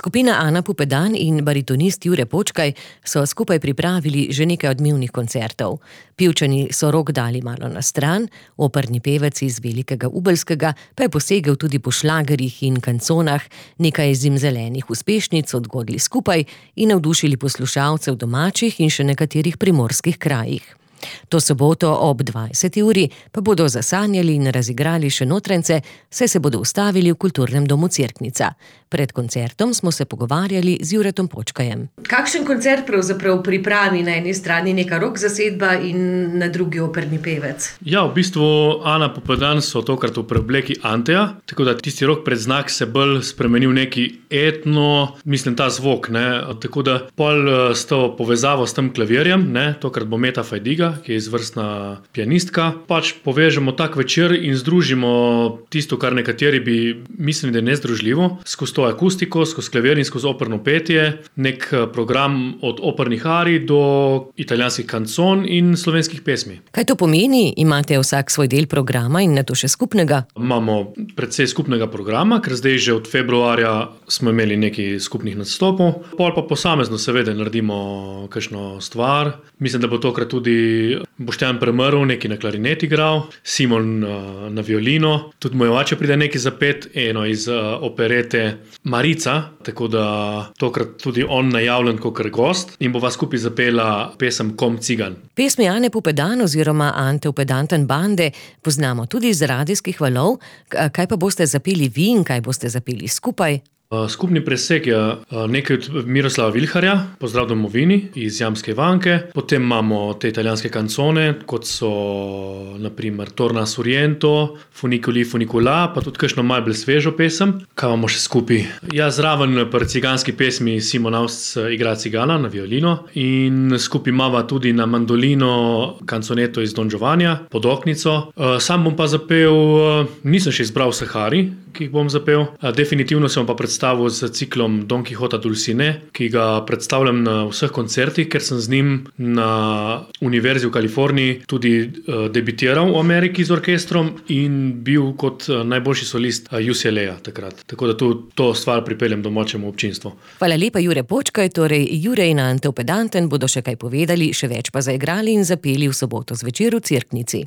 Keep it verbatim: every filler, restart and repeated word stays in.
Skupina Ana Pupedan in baritonist Jure Počkaj so skupaj pripravili že nekaj odmevnih koncertov. Pivčani so rok dali malo na stran, operni pevec iz Velikega Ubelskega pa je posegel tudi po šlagerjih in kanconah, nekaj zimzelenih uspešnic odgodili skupaj in navdušili poslušalce v domačih in še nekaterih primorskih krajih. To soboto ob dvajseti uri pa bodo zasanjali in razigrali še notrence, saj se bodo ustavili v kulturnem domu Cerknica. Pred koncertom smo se pogovarjali z Juretom Počkajem. Kakšen koncert pravzaprav pripravi na eni strani neka rock zasedba in na drugi operni pevec? Ja, v bistvu Ana Pupedan so tokrat v preobleki Anteja, tako da tisti rock predznak se bolj spremenil neki etno, mislim ta zvok, ne, tako da pol s to povezavo s tem klavirjem, ne, tokrat bo Meta Fajdiga, ki je izvrstna pianistka, pač povežemo tak večer in združimo tisto, kar nekateri bi mislili, da je nezdružljivo, skozi to akustiko, skozi klavir in skozi operno petje, nek program od opernih arij do italijanskih kancon in slovenskih pesmi. Kaj to pomeni? Imate vsak svoj del programa in nato še skupnega? Imamo precej skupnega programa, ker zdaj že od februarja smo imeli nekaj skupnih nastopov, pol pa posamezno seveda naredimo kakšno stvar. Mislim, da bo tokrat tudi Boštjan Premrl nekaj na klarinet igral, Simon uh, na violino, tudi moj oče pride nekaj zapet, eno iz uh, operete Marica, tako da tokrat tudi on najavljen kakor gost in bova skupaj zapela pesem Kom cigan. Pesmi Ane Pupedan oziroma Ante Pupedanten bande poznamo tudi iz radijskih valov. Kaj pa boste zapeli vi in kaj boste zapeli skupaj? Skupni presek je nekaj od Miroslava Vilharja, Pozdrav domovini iz Jamske Ivanke, potem imamo te italijanske kancone, kot so na primer Torna Suriento, Funiculi Funicula, pa tudi kakšno malo bolj svežo pesem. Kaj imamo še skupaj? Ja, zraven pri ciganski pesmi Simon Aust igra cigana na violino in skupaj imava tudi na mandolino kanconeto iz Don Giovannija, Podoknico. Sam bom pa zapel, nisem še izbral vseh arij, ki jih bom zapel. Definitivno se bom pa predstavil predstavil z ciklom Don Quixota Dulcinea, ki ga predstavljam na vseh koncertih, ker sem z njim na Univerzi v Kaliforniji tudi uh, debitiral v Ameriki z orkestrom in bil kot uh, najboljši solist uh, U C L A takrat. Tako da tu to stvar pripeljem domačemu občinstvu. Hvala lepa, Jure Počkaj, torej Jure in Ante Pupedanten bodo še kaj povedali, še več pa zaigrali in zapeli v soboto zvečer v Cerknici.